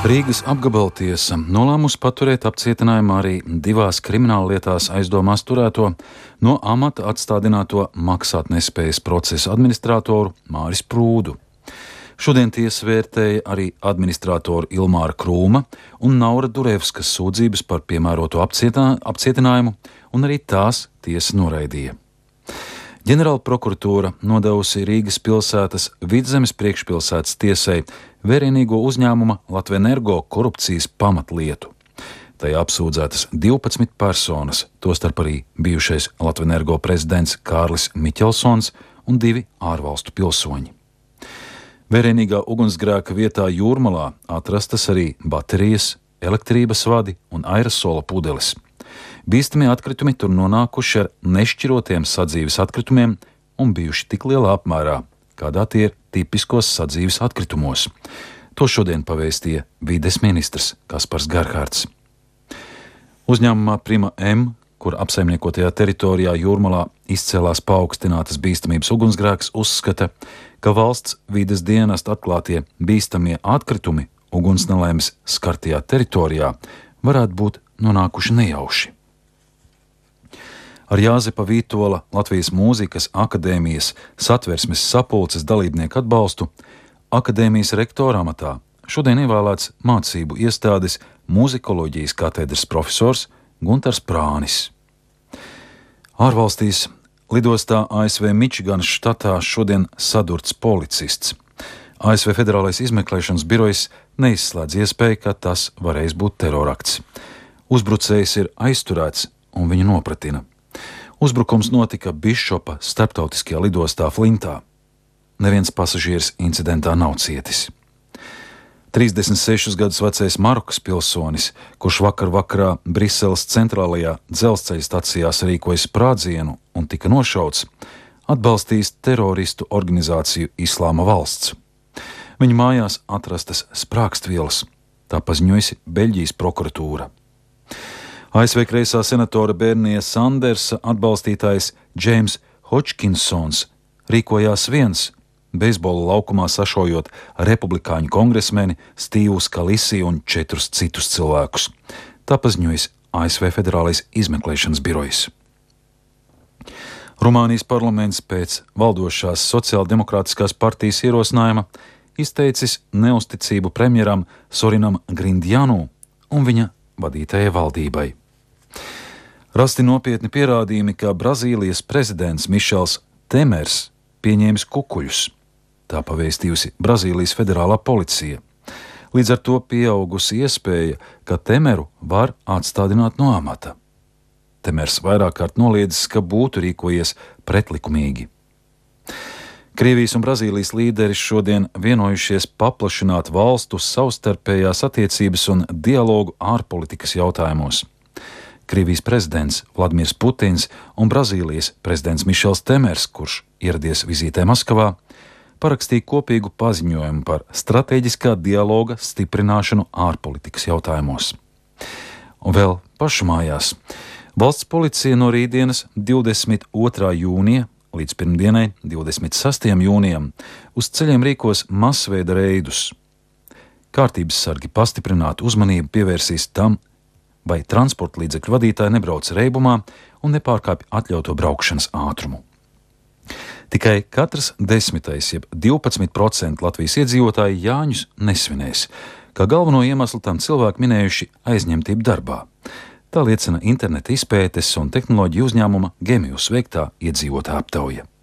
Rīgas apgabaltiesa nolēmusi paturēt apcietinājumā arī divās krimināllietās aizdomās turēto no amata atstādināto maksātnespējas procesa administratoru Māris Prūdu. Šodien tiesa vērtēja arī administratoru Ilmāra Krūma un Naura Durevskas sūdzības par piemēroto apcietinājumu, un arī tās tiesa noraidīja. Ģenerāla prokuratūra nodevusi Rīgas pilsētas Vidzemes priekšpilsētas tiesai vērienīgo uzņēmuma Latvenergo korupcijas pamatlietu. Tajā apsūdzētas 12 personas, tostarp arī bijušais Latvenergo prezidents Kārlis Miķelsons un 2 ārvalstu pilsoņi. Vērienīgā ugunsgrēka vietā Jūrmalā atrastas arī baterijas, elektrības vadi un aerosola pudeles. Bīstamie atkritumi tur nonākuši ar nešķirotiem sadzīves atkritumiem un bijuši tik lielā apmērā, kādā tie ir tipiskos sadzīves atkritumos. To šodien pavēstīja vides ministrs Kaspars Gerhards. Uzņēmumā Prima M, kur apsaimniekotajā teritorijā Jūrmalā izcēlās paaugstinātas bīstamības ugunsgrēks, uzskata, ka valsts vides dienesta atklātie bīstamie atkritumi ugunsnelaimes skartajā teritorijā varētu būt nonākuši nejauši. Ar Jāzepa Vītola Latvijas Mūzikas akadēmijas satversmes sapulces dalībnieku atbalstu akadēmijas rektora amatā šodien ievēlēts mācību iestādes mūzikoloģijas katedras profesors Guntars Prānis. Ārvalstīs lidostā ASV Mičiganas štatā šodien sadurts policists. ASV Federālais izmeklēšanas birojs neizslēdz iespēju, ka tas varēs būt terorakts. Uzbrucējs ir aizturēts un viņu nopratina. Uzbrukums notika Bišopa starptautiskajā lidostā Flintā. Neviens pasažieris incidentā nav cietis. 36 gadus vecais Marokas pilsonis, kurš vakarā Briseles centrālajā dzelzceļa stacijā sarīkoja sprādzienu un tika nošauts, atbalstīs teroristu organizāciju Islāma valsts. Viņa mājās atrastas sprākstvielas, tā paziņojusi Beļģijas prokuratūra. ASV kreisā senatora Bernija Sandersa atbalstītājs Džeims Hodžkinsons rīkojās viens, beisbola laukumā sašojot republikāņu kongresmeni Stīvu Skalisi un 4 citus cilvēkus. Tā paziņojas ASV Federālais izmeklēšanas birojs. Rumānijas parlaments pēc valdošās sociāldemokrātiskās partijas ierosinājuma izteicis neusticību premjeram Sorinam Grindjanu un viņa vadītajai valdībai. Rasti nopietni pierādījumi, ka Brazīlijas prezidents Mišels Temers pieņēmis kukuļus. Tā pavēstījusi Brazīlijas federālā policija. Līdz ar to pieaugusi iespēja, ka Temeru var atstādināt no amata. Temers vairāk kārt noliedzis, ka būtu rīkojies pretlikumīgi. Krievijas un Brazīlijas līderi šodien vienojušies paplašināt valstu savstarpējās attiecības un dialogu ārpolitikas jautājumos. Krievijas prezidents Vladimirs Putins un Brazīlijas prezidents Mišels Temers, kurš ieradies vizītē Maskavā, parakstīja kopīgu paziņojumu par stratēģiskā dialoga stiprināšanu ārpolitikas jautājumos. Un vēl pašu mājās. Valsts policija no rītdienas 22. jūnija līdz pirmdienai 26. jūnijam uz ceļiem rīkos masveida reidus. Kārtības sargi pastiprinātu uzmanību pievērsīs tam, vai transporta līdzekļu vadītāji nebrauc reibumā un nepārkāpj atļauto braukšanas ātrumu. Tikai katrs 10. jeb 12% Latvijas iedzīvotāji Jāņus nesvinēs, kā galveno iemeslu tam cilvēki minējuši aizņemtību darbā. Tā liecina interneta izpētes un tehnoloģiju uzņēmuma Gemius veiktā iedzīvotāja aptauja.